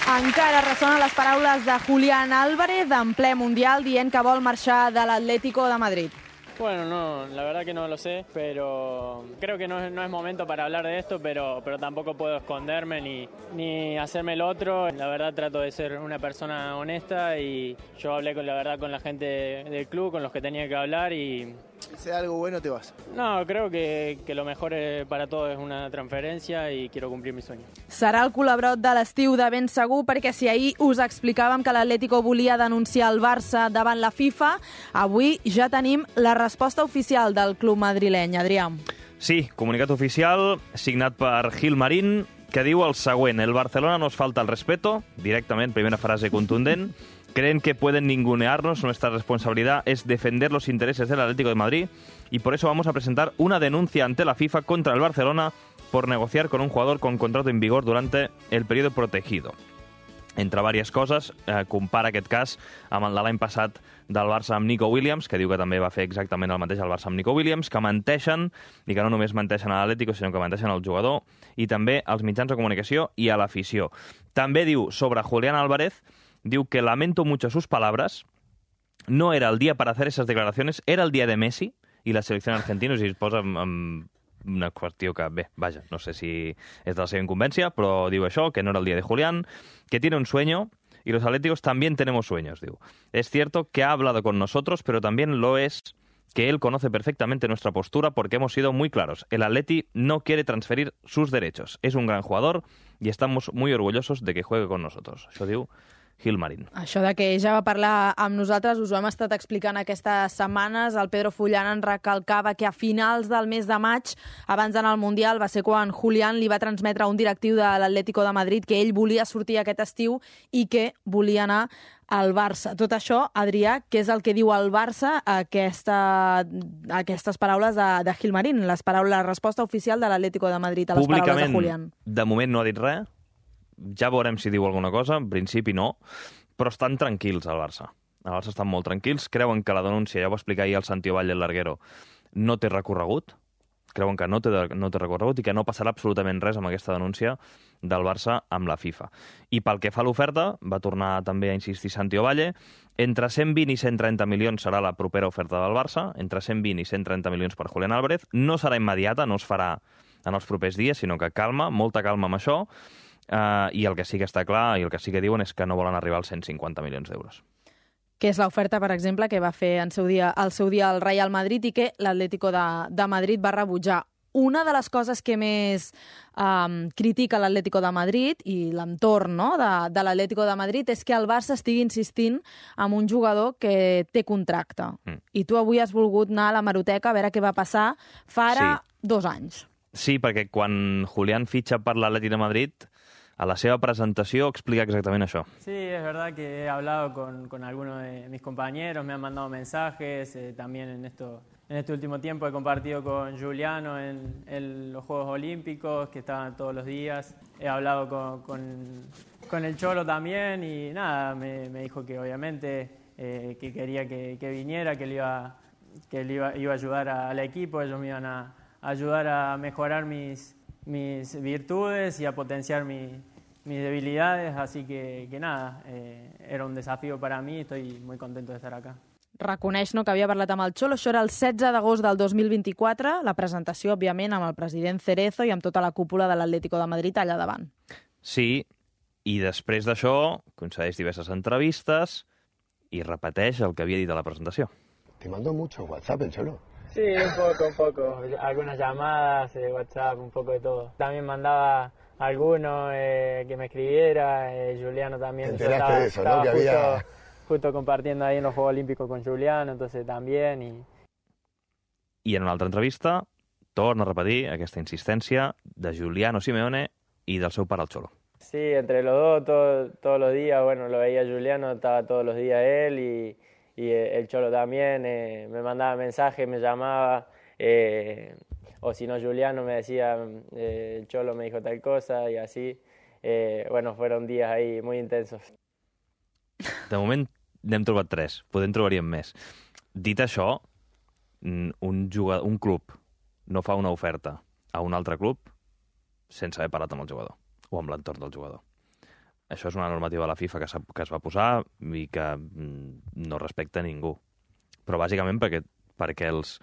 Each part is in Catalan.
Encara ressonen les paraules de Julián Álvarez en ple Mundial dient que vol marxar de l'Atlético de Madrid. Bueno, no, la verdad que no lo sé, pero creo que no es momento para hablar de esto, pero tampoco puedo esconderme ni hacerme el otro. La verdad trato de ser una persona honesta y yo hablé con la gente del club, con los que tenía que hablar y... Si sea algo bueno te vas. No, creo que lo mejor para todos es una transferència i quiero cumplir mi sueño. Serà el col·labrot de l'estiu de ben segur, perquè si ahir us explicàvem que l'Atlético volia denunciar el Barça davant la FIFA, avui ja tenim la resposta oficial del club madrileny. Adrià. Sí, comunicat oficial signat per Gil Marín, que diu el següent: el Barcelona nos falta el respeto, directament, primera frase contundent. Creen que pueden ningunearnos, nuestra responsabilidad es defender los intereses del Atlético de Madrid y por eso vamos a presentar una denuncia ante la FIFA contra el Barcelona por negociar con un jugador con contrato en vigor durante el periodo protegido. Entre diverses coses, compara aquest cas amb el de l'any passat del Barça amb Nico Williams, que diu que també va fer exactament el mateix al Barça amb Nico Williams, que menteixen, i que no només menteixen a l'Atlético, sinó que menteixen al jugador, i també als mitjans de comunicació i a l'afició. També diu sobre Julián Álvarez, diu que lamento mucho sus palabras, no era el día para hacer esas declaraciones, era el día de Messi y la selección argentina, i es posa amb una qüestió que, bé, vaja, no sé si és de la seva incumbència, però diu això, que no era el día de Julián, que tiene un sueño y los atléticos también tenemos sueños, diu. Es cierto que ha hablado con nosotros, pero también lo es que él conoce perfectamente nuestra postura porque hemos sido muy claros. El Atleti no quiere transferir sus derechos. Es un gran jugador y estamos muy orgullosos de que juegue con nosotros. Això diu Gil Marín. Això de que ja va parlar amb nosaltres, us ho hem estat explicant aquestes setmanes. El Pedro Fullán en recalcava que a finals del mes de maig, abans d'anar al Mundial, va ser quan Julián li va transmetre a un directiu de l'Atlético de Madrid que ell volia sortir aquest estiu i que volia anar al Barça. Tot això, Adrià, què és el que diu el Barça a aquestes paraules de Gil Marín, la resposta oficial de l'Atlético de Madrid a les paraules de Julián? De moment no ha dit res. Ja veurem si diu alguna cosa, en principi no, però estan tranquils al Barça. Al Barça estan molt tranquils, creuen que la denúncia, ja ho va explicar ahir el Santi Ovalle, el larguero, no té recorregut, creuen que no té recorregut i que no passarà absolutament res amb aquesta denúncia del Barça amb la FIFA. I pel que fa a l'oferta, va tornar també a insistir Santi Ovalle, entre 120 i 130 milions serà la propera oferta del Barça, entre 120 i 130 milions per Julián Álvarez, no serà immediata, no es farà en els propers dies, sinó que calma, molta calma amb això, i el que sí que està clar i el que sí que diuen és que no volen arribar als 150 milions d'euros. Que és l'oferta, per exemple, que va fer al seu dia el Real Madrid i que l'Atlético de Madrid va rebutjar. Una de les coses que més critica l'Atlético de Madrid i l'entorn de l'Atlético de Madrid és que el Barça estigui insistint en un jugador que té contracte. I tu avui has volgut anar a l'hemeroteca a veure què va passar fa ara 2 anys. Sí, perquè quan Julián fitxa per l'Atlètic de Madrid, a la seva presentació explica exactament això. Sí, es verdad que he hablado con algunos de mis compañeros, me han mandado mensajes, también en este último tiempo he compartido con Juliano en los Juegos Olímpicos, que estaban todos los días. He hablado con el Cholo también y nada, me dijo que obviamente que quería que viniera, que él iba a ayudar al equipo, ellos me iban a ayudar a mejorar mis virtudes y a potenciar mis debilidades, así que nada, era un desafío para mí, estoy muy contento de estar acá. Reconeix que havia parlat amb el Xolo, això era el 16 d'agost del 2024, la presentació, òbviament, amb el president Cerezo i amb tota la cúpula de l'Atlético de Madrid allà davant. Sí, i després d'això concedeix diverses entrevistes i repeteix el que havia dit a la presentació. Te mandó mucho WhatsApp el Cholo. Sí, un poco. Algunas llamadas, WhatsApp, un poco de todo. También mandaba a alguno que me escribiera, Juliano también. Te enteraste de eso, ¿no? Que había... Justo compartiendo ahí en los Juegos Olímpicos con Juliano, entonces también. I en una altra entrevista torna a repetir aquesta insistència de Juliano Simeone i del seu pare el Cholo. Sí, entre los dos, todos los días, bueno, lo veía Juliano, estaba todos los días él y el Cholo también, me mandaba mensajes, me llamaba, o si no Juliano me decía, el Cholo me dijo tal cosa y así. Bueno, fueron días ahí muy intensos. De moment n'hem trobat 3, podem trobaríem més. Dit això, un club no fa una oferta a un altre club sense haver parlat amb el jugador o amb l'entorn del jugador. això és una normativa de la FIFA que es va posar i que no respecta ningú. Però bàsicament perquè els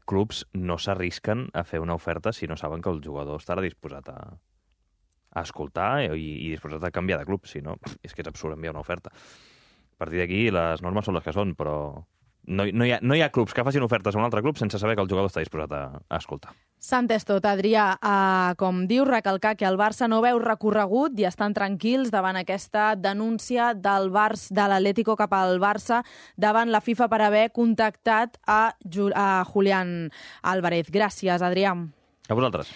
clubs no s'arrisquen a fer una oferta si no saben que el jugador estarà disposat a escoltar i disposat a canviar de club. Si no, és que és absurd enviar una oferta. A partir d'aquí, les normes són les que són, però no hi ha clubs que facin ofertes a un altre club sense saber que el jugador està disposat a escoltar. S'entès tot, Adrià. Com diu, recalcar que el Barça no veu recorregut i estan tranquils davant aquesta denúncia de l'Atlético cap al Barça davant la FIFA per haver contactat a Julián Álvarez. Gràcies, Adrià. A vosaltres.